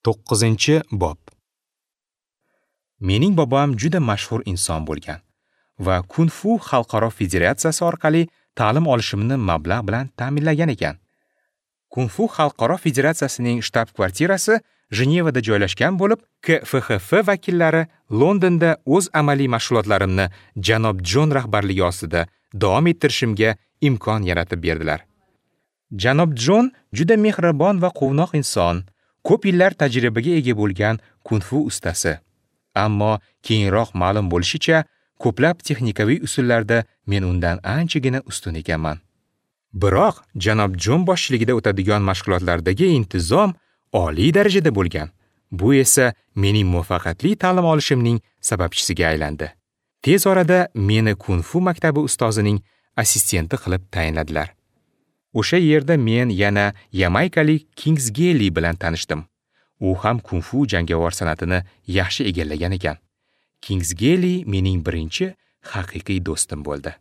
9-bob. Mening bobom juda mashhur inson bo'lgan va Kung-fu xalqaro federatsiyasi orqali ta'lim olishimni mablag' bilan ta'minlagan ekan. Kung-fu xalqaro federatsiyasining shtab-kvartirasi Jenevada joylashgan bo'lib, KFHF vakillari Londonda o'z amaliy mashg'ulotlarimni janob Jon rahbarligi ostida davom ettirishimga imkon yaratib berdilar. Janob Jon juda mehribon va quvnoq inson, ko'p yillar tajribaga ega bo'lgan kung-fu ustasi. Ammo keyinroq ma'lum bo'lishicha, ko'plab texnikaviy usullarda men undan anchagina ustun ekanman. Biroq janob Jon boshchiligida o'tadigan mashg'ulotlardagi intizom oliy darajada bo'lgan. Bu esa mening muvaffaqiyatli ta'lim olishimning sababchisiga aylandi. Tez orada meni kung-fu maktabi ustozining assistenti qilib tayinladilar. O'sha yerda men yana yamaykalik Kingsgeli bilan tanishdim. U ham kung-fu jangovar san'atini yaxshi egallagan ekan. Kingsgeli mening birinchi haqiqiy do'stim bo'ldi.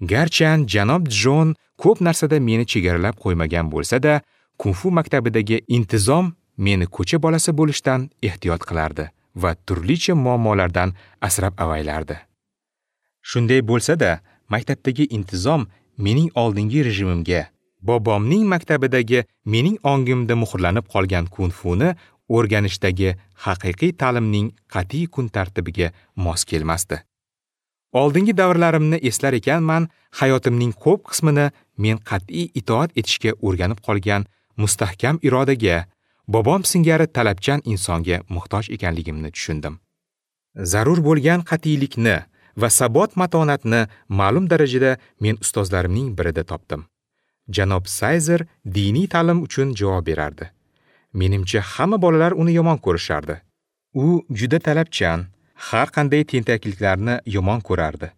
Garchan janob Jon ko'p narsada meni chegaralab qo'ymagan bo'lsa-da, kung-fu maktabidagi intizom meni ko'cha bolasi bo'lishdan ehtiyot qilardi va turlicha muammolardan asrab avaylardi. Shunday bo'lsa-da, maktabdagi intizom mening oldingi rejimimga, bobomning maktabidagi mening ongimda muhrlanib qolgan kung-funi o'rganishdagi haqiqiy ta'limning qat'iy kun tartibiga mos kelmasdi. Oldingi davrlarimni eslar ekanman, hayotimning ko'p qismini men qat'iy itoat etishga o'rganib qolgan mustahkam irodaga, bobom singari talabchan insonga muhtoj ekanligimni tushundim. Zarur bo'lgan qat'iylikni va sabot matonatni ma'lum darajada men ustozlarimning birida topdim. Janob Sayzer diniy ta'lim uchun javob berardi. Menimcha, hamma bolalar uni yomon ko'rishardi. U juda talabchan, har qanday tentakliklarni yomon ko'rardi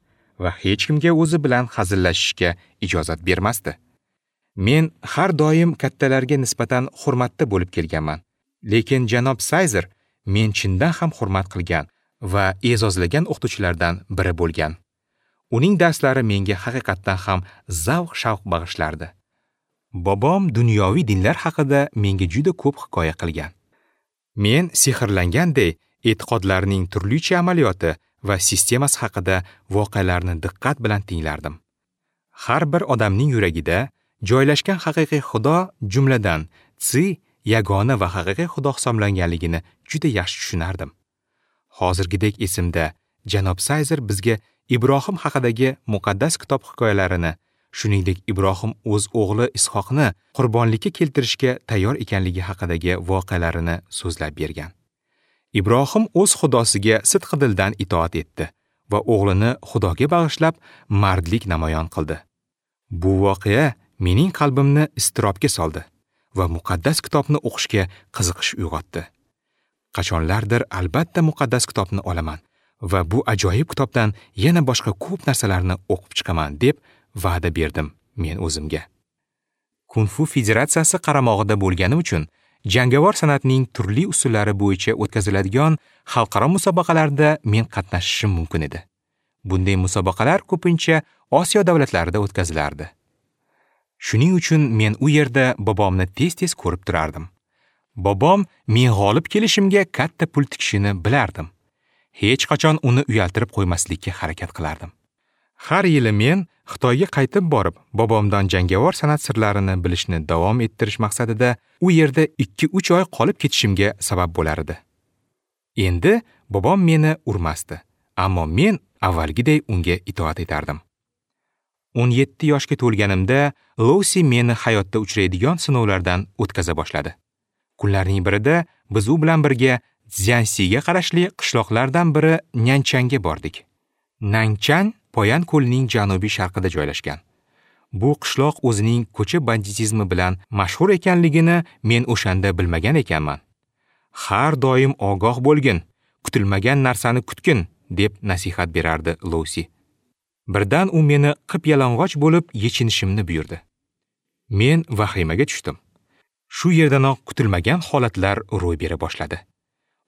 va hech kimga o'zi bilan hazillashishga ijozat bermasdi. Men har doim kattalarga nisbatan hurmatda bo'lib kelganman. Lekin janob Sayzer men chindan ham hurmat qilgan va e'zozlagan o'qituvchilardan biri bo'lgan. Uning darslari menga haqiqatdan ham zavq-shavq bag'ishlardi. Bobom dunyoviy dinlar haqida menga juda ko'p hikoya qilgan. Men sehrlanganday e'tiqodlarning turlicha amaliyoti va sistemasi haqida voqealarni diqqat bilan tinglardim. Har bir odamning yuragida joylashgan haqiqiy Xudo, jumladan Tsi yagona va haqiqiy Xudo hisoblanganligini juda yaxshi tushunardim. Hozirgidek esimda, janob Sayzer bizga Ibrohim haqidagi muqaddas kitob hikoyalarini, shuningdek Ibrohim o'z o'g'li Ishoqni qurbonlikka keltirishga tayyor ekanligi haqidagi voqealarini so'zlab bergan. Ibrohim o'z Xudosiga sidqidildan itoat etdi va o'g'lini Xudoga bag'ishlab mardlik namoyon qildi. Bu voqea mening qalbimni iztirobga soldi va muqaddas kitobni o'qishga qiziqish uyg'otdi. Qachonlardir albatta muqaddas kitobni olaman va bu ajoyib kitobdan yana boshqa ko'p narsalarni o'qib chiqaman deb va'da berdim men o'zimga. Kung-fu federatsiyasi qaramog'ida bo'lganim uchun jangovar san'atning turli usullari bo'yicha o'tkaziladigan xalqaro musobaqalarda men qatnashishim mumkin edi. Bunday musobaqalar ko'pincha Osiyo davlatlarida o'tkazilardi. Shuning uchun men u yerda bobomni tez-tez ko'rib turardim. Bobom men g'olib kelishimga katta pul tikishini bilardim. Hech qachon uni uyaltirib qo'ymaslikka harakat qilardim. Har yili men Xitoyga qaytib borib, bobomdan jangovar san'at sirlarini bilishni davom ettirish maqsadida u yerda 2-3 oy qolib ketishimga sabab bo'lar edi. Endi bobom meni urmasdi, ammo men avvalgiday unga itoat etardim. 17 yoshga to'lganimda Lousi meni hayotda uchraydigan sinovlardan o'tkaza boshladi. Kunlarning birida biz u bilan birga Szyansiga qarashli qishloqlardan biri Nyanchanga bordik. Nanchan Poyan ko'lining janubiy sharqida joylashgan. Bu qishloq o'zining ko'cha banditizmi bilan mashhur ekanligini men o'shanda bilmagan ekanman. Har doim ogoh bo'lgin, kutilmagan narsani kutgin, deb nasihat berardi Lousi. Birdan u meni qip-yalang'och bo'lib yechinishimni buyurdi. Men vahimaga tushdim. Shu yerdanoq kutilmagan holatlar ro'y bera boshladi.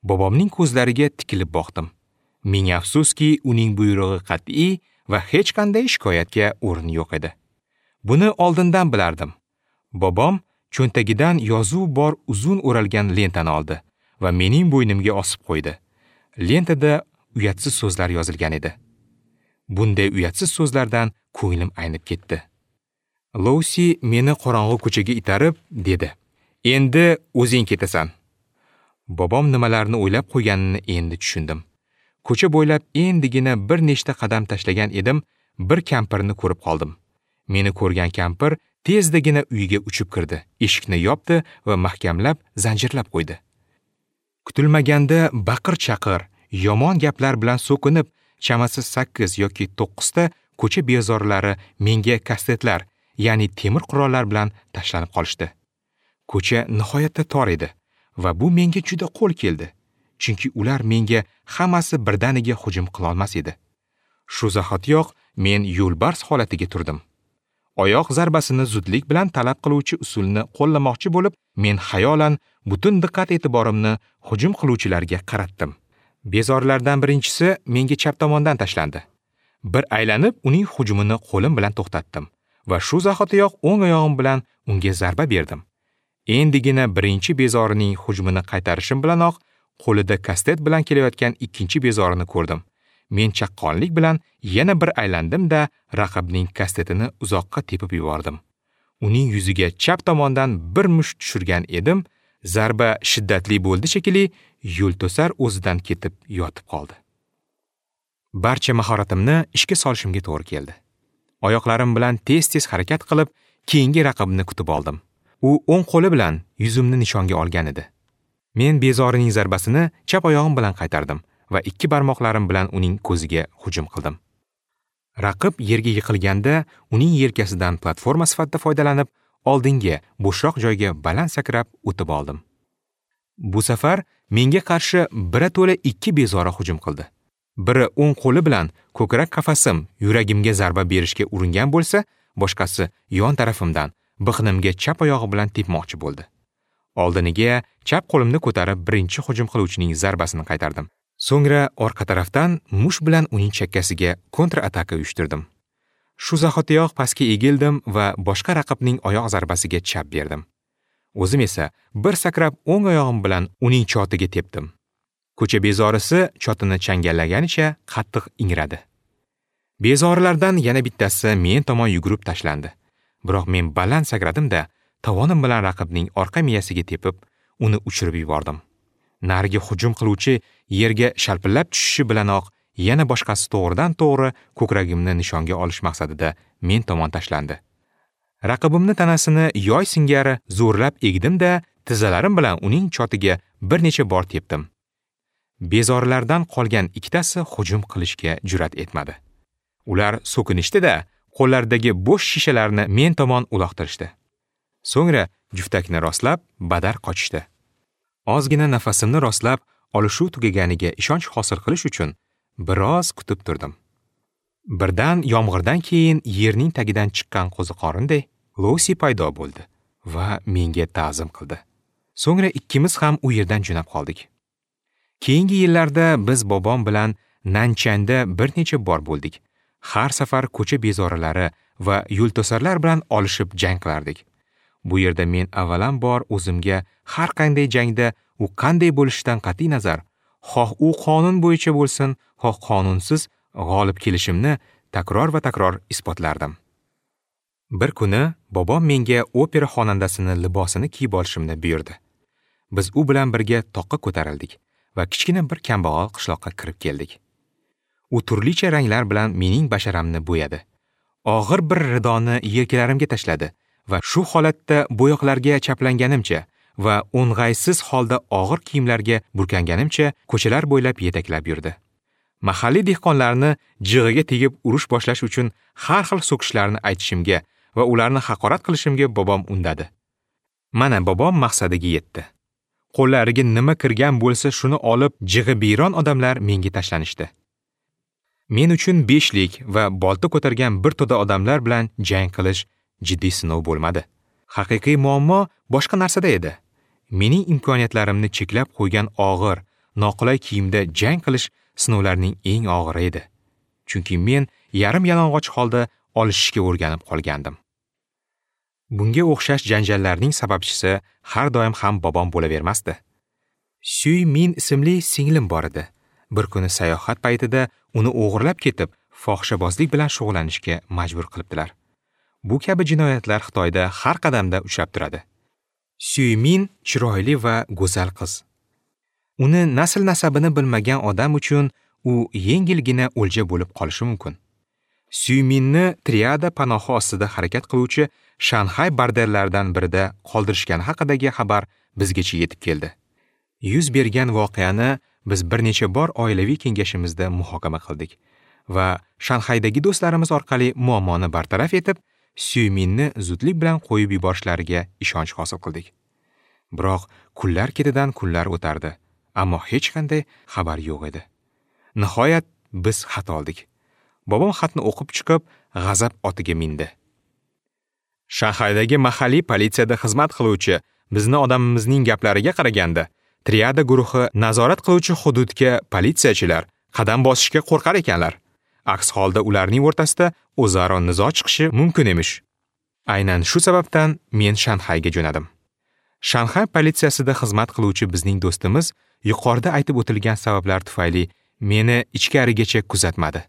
Bobomning ko'zlariga tikilib boqdim. Ming afsuski, uning buyrug'i qat'iy va hech qanday shikoyatga o'rin yo'q edi. Buni oldindan bilardim. Bobom Cho'ntagidan yozuv bor uzun o'ralgan lentani oldi va mening bo'ynimga osib qo'ydi. Lentada uyatsiz so'zlar yozilgan edi. Bunday uyatsiz so'zlardan ko'nglim aynib ketdi. Lousi meni qorong'u ko'chaga itarib dedi: "Endi o'zing ketasan." Bobom nimalarni o'ylab qo'yganini endi tushundim. Ko'cha bo'ylab endigina bir nechta qadam tashlagan edim, bir kampirni ko'rib qoldim. Meni ko'rgan kampir tezdagina uyga uchib kirdi, eshikni yopdi va mahkamlab zanjirlab qo'ydi. Kutilmaganda baqir-chaqir, yomon gaplar bilan so'kinib, chamasi 8 yoki 9 ta ko'cha bezorlari menga kastetlar, ya'ni temir qurollar bilan tashlanib qolishdi. Ko'cha nihoyatda tor edi va bu menga juda qo'l keldi, chunki ular menga hammasi birdaniga hujum qila olmas edi. Shu zahotiyoq men yo'lbars holatiga turdim. Oyoq zarbasini zudlik bilan talab qiluvchi usulni qo'llamoqchi bo'lib, men xayolan butun diqqat-e'tiborimni hujum qiluvchilarga qaratdim. Bezorlardan birinchisi menga chap tomondan tashlandi. Bir aylanib, uning hujumini qo'lim bilan to'xtatdim va shu zahotiyoq o'ng oyog'im bilan unga zarba berdim. Endigina birinchi bezorining hujumini qaytarishim bilanoq qo'lida kastet bilan kelayotgan ikkinchi bezorini ko'rdim. Men chaqqonlik bilan yana bir aylandim-da, raqibning kastetini uzoqqa tepib yubordim. Uning yuziga chap tomondan bir musht tushirgan edim, zarba shiddatli bo'ldi shekilli, yo'lto'sar o'zidan ketib yotib qoldi. Barcha mahoratimni ishga solishimga to'g'ri keldi. Oyoqlarim bilan tez-tez harakat qilib, keyingi raqibni kutib oldim. U o'ng qo'li bilan yuzimni nishonga olgan edi. Men bezorining zarbasini chap oyog'im bilan qaytardim va ikki barmoqlarim bilan uning ko'ziga hujum qildim. Raqib yerga yiqilganda uning yelkasidan platforma sifatida foydalanib, oldinga, bo'shroq joyga baland sakrab o'tib oldim. Bu safar menga qarshi birato'la ikki bezori hujum qildi. Biri o'ng qo'li bilan ko'krak qafasim, yuragimga zarba berishga uringan bo'lsa, boshqasi yon tarafimdan biqinimga chap oyog'i bilan tepmoqchi bo'ldi. Oldiniga chap qo'limni ko'tarib birinchi hujum qiluvchining zarbasini qaytardim. So'ngra orqa tarafdan mush bilan uning chakkasiga kontra-ataka uyushtirdim. Shu zahotiyoq pastga egildim va boshqa raqibning oyoq zarbasiga chap berdim. O'zim esa bir sakrab o'ng oyog'im bilan uning chotiga tepdim. Ko'cha bezorisi chotini changallaganicha qattiq ingradi. Bezorilardan yana bittasi men tomon yugurib tashlandi. Biroq men baland sakradim-da, tovonim bilan raqibning orqa miyasiga tepib, uni uchirib yubordim. Narigi hujum qiluvchi yerga shalpillab tushishi bilanoq yana boshqasi to'g'ridan-to'g'ri ko'kragimni nishonga olish maqsadida men tomon tashlandi. Raqibimni tanasini yoy singari zo'rlab egdim-da, tizzalarim bilan uning chotiga bir necha bor tepdim. Bezorilardan qolgan ikkitasi hujum qilishga jur'at etmadi. Ular so'kinishdi-da, qo'llaridagi bo'sh shishalarni men tomon uloqtirishdi. So'ngra juftakni rostlab, badar qochishdi. Ozgina nafasimni rostlab, olishuv tugaganiga ishonch hosil qilish uchun biroz kutib turdim. Birdan yomg'irdan keyin yerning tagidan chiqqan qo'ziqorinday Lousi paydo bo'ldi va menga ta'zim qildi. So'ngra ikkimiz ham u yerdan jo'nab qoldik. Keyingi yillarda biz bobom bilan Nanchanda bir necha bor bo'ldik. Har safar ko'cha bezorilari va yo'lto'sarlar bilan olishib jang qilardik. Bu yerda men avvalambor o'zimga har qanday jangda u qanday bo'lishidan qat'iy nazar, xoh u qonun bo'yicha bo'lsin, xoh qonunsiz g'olib kelishimni takror va takror isbotlardim. Bir kuni bobom menga opera xonandasini libosini kiyib olishimni buyurdi. Biz u bilan birga toqqa ko'tarildik va kichkina bir kambag'al qishloqqa kirib keldik. U turlicha ranglar bilan mening basharamni bo'yadi. Og'ir bir ridoni yelkalarimga tashladi va shu holatda bo'yoqlarga chaplanganimcha va o'ng'aysiz holda og'ir kiyimlarga burkanganimcha ko'chalar bo'ylab yetaklab yurdi. Mahalliy dehqonlarni jig'iga tegib urush boshlash uchun har xil so'kishlarni aytishimga va ularni haqorat qilishimga bobom undadi. Mana bobom maqsadiga yetdi. Qo'llariga nima kirgan bo'lsa shuni olib jig'i biyron odamlar menga tashlanishdi. Men uchun beshlik va bolta ko'targan bir to'da odamlar bilan jang qilish jiddiy sinov bo'lmadi. Haqiqiy muammo boshqa narsada edi. Mening imkoniyatlarimni cheklab qo'ygan og'ir, noqulay kiyimda jang qilish sinovlarning eng og'iri edi. Chunki men yarim yalang'och holda olishishga o'rganib qolgandim. Bunga o'xshash janjallarning sababchisi har doim ham bobom bo'lavermasdi. Sui Min ismli singlim bor edi. Bir kuni sayohat paytida uni o'g'irlab ketib, fohishabozlik bilan shug'ullanishga majbur qilibdilar. Bu kabi jinoyatlar Xitoyda har qadamda uchrab turadi. Sui Min chiroyli va go'zal qiz. Uni nasl-nasabini bilmagan odam uchun u yengilgina o'lja bo'lib qolishi mumkin. Sui Minni triada panohi ostida harakat qiluvchi Shanxay bordellaridan birida qoldirishgani haqidagi xabar bizgacha yetib keldi. Yuz bergan voqeani biz bir necha bor oilaviy kengashimizda muhokama qildik va Shanxaydagi do'stlarimiz orqali muammoni bartaraf etib, Sui Minni zudlik bilan qo'yib yuborishlariga ishonch hosil qildik. Biroq kunlar ketidan kunlar o'tardi, ammo hech qanday xabar yo'q edi. Nihoyat biz xat oldik. Bobom xatni o'qib chiqib, g'azab otiga mindi. Shanxaydagi mahalliy politsiyada xizmat qiluvchi bizni odamimizning gaplariga qaraganda, triada guruhi nazorat qiluvchi hududga politsiyachilar qadam bosishga qo'rqar ekanlar. Aks holda ularning o'rtasida o'zaro nizo chiqishi mumkin emish. Aynan shu sababdan men Shanxayga jo'nadim. Shanxay politsiyasida xizmat qiluvchi bizning do'stimiz yuqorida aytib o'tilgan sabablar tufayli meni ichkarigacha kuzatmadi.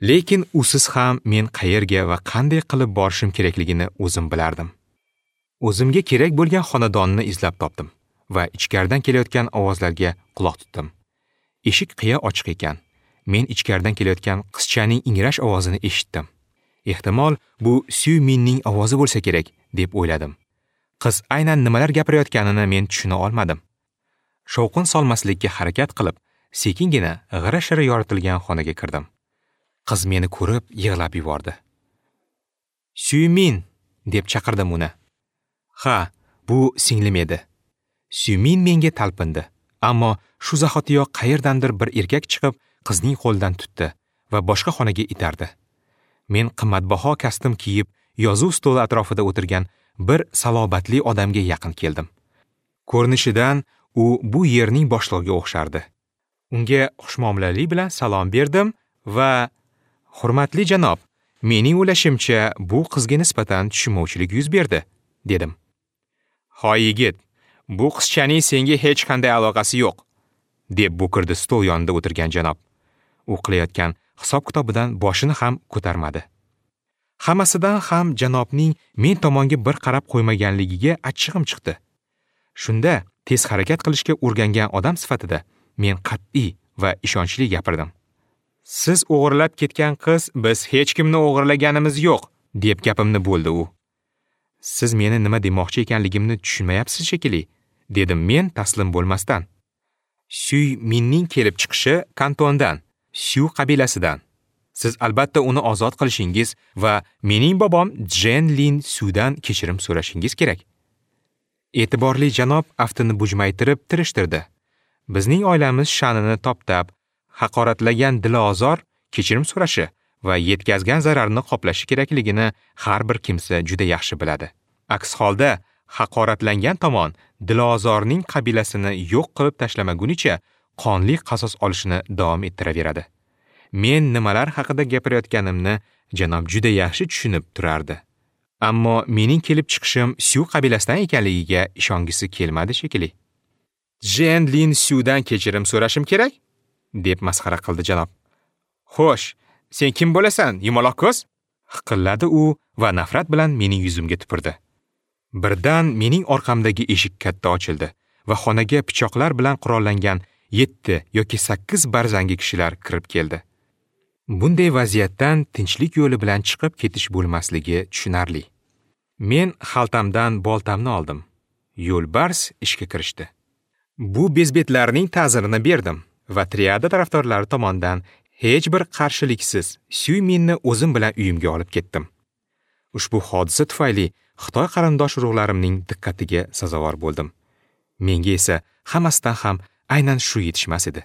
Lekin usiz ham men qayerga va qanday qilib borishim kerakligini o'zim bilardim. O'zimga kerak bo'lgan xonadonni izlab topdim va ichkaridan kelayotgan ovozlarga quloq tutdim. Eshik qiya ochiq ekan. Men ichkaridan kelayotgan qizchaning ingrash ovozini eshitdim. Ehtimol bu Sui Minning ovozi bo'lsa kerak deb o'yladim. Qiz aynan nimalar gapirayotganini men tushuna olmadim. Shovqin solmaslikka harakat qilib, sekingina g'ira-shira yoritilgan xonaga kirdim. Qiz meni ko'rib yig'lab yubordi. "Sui Min!" deb chaqirdim uni. Ha, bu singlim edi. Sui Min menga talpindi, ammo shu zahotiyoq qayerdandir bir erkak chiqib qizning qo'lidan tutdi va boshqa xonaga itardi. Men qimmatbaho kostyum kiyib, yozuv stoli atrofida o'tirgan bir salobatli odamga yaqin keldim. Ko'rinishidan u bu yerning boshlig'iga o'xshardi. Unga xushmuomalalik bilan salom berdim va "Hurmatli janob, mening o'ylashimcha bu qizga nisbatan tushunmovchilik yuz berdi", dedim. "Hoy yigit, bu qizchaning senga hech qanday aloqasi yo'q", deb bo'kirdi stol yonida o'tirgan janob. U qilayotgan hisob-kitobidan boshini ham ko'tarmadi. Hammasidan ham janobning men tomonga bir qarab qo'ymaganligiga achchig'im chiqdi. Shunda tez harakat qilishga o'rgangan odam sifatida men qat'iy va ishonchli gapirdim. "Siz o'g'irlab ketgan qiz, biz hech kimni o'g'irlaganimiz yo'q", deb gapimni bo'ldi u. "Siz meni nima demoqchi ekanligimni tushunmayapsiz shekilli", dedim men taslim bo'lmasdan. Sui Minning kelib chiqishi Kantondan, Syu qabilasidan. Siz albatta uni ozod qilishingiz va mening bobom Jen Lin Sudan kechirim so'rashingiz kerak. E'tiborli janob aftini bujmaytirib tirishtirdi. Bizning oilamiz sha'nini toptab, haqoratlagan dilozor kechirim so'rashi va yetkazgan zararni qoplashi kerakligini har bir kimsa juda yaxshi biladi. Aks holda haqoratlangan tomon dilozorning qabilasini yo'q qilib tashlamagunicha qonli qasos olishini davom ettiraveradi. Men nimalar haqida gapirayotganimni janob juda yaxshi tushunib turardi. Ammo mening kelib chiqishim Syu qabilasidan ekanligiga ishongisi kelmadi shekilli. "Jen Lin Syudan kechirim so'rashim kerak?" deb masxara qildi janob. "Xo'sh, sen kim bo'lasan, yumaloq ko'z?" hiqilladi u va nafrat bilan mening yuzimga tupurdi. Birdan mening orqamdagi eshik katta ochildi va xonaga pichoqlar bilan qurollangan 7 yoki 8 barzangi kishilar kirib keldi. Bunday vaziyatdan tinchlik yo'li bilan chiqib ketish bo'lmasligi tushunarli. Men xaltamdan boltamni oldim. Yo'lbars ishga kirishdi. Bu bezbetlarning ta'zirini berdim va triada tarafdorlari tomonidan hech bir qarshiliksiz Sui Minni o'zim bilan uyimga olib ketdim. Ushbu hodisa tufayli Xitoy qarindosh urug'larimning diqqatiga sazovor bo'ldim. Menga esa hammasidan ham aynan shu yetishmas edi.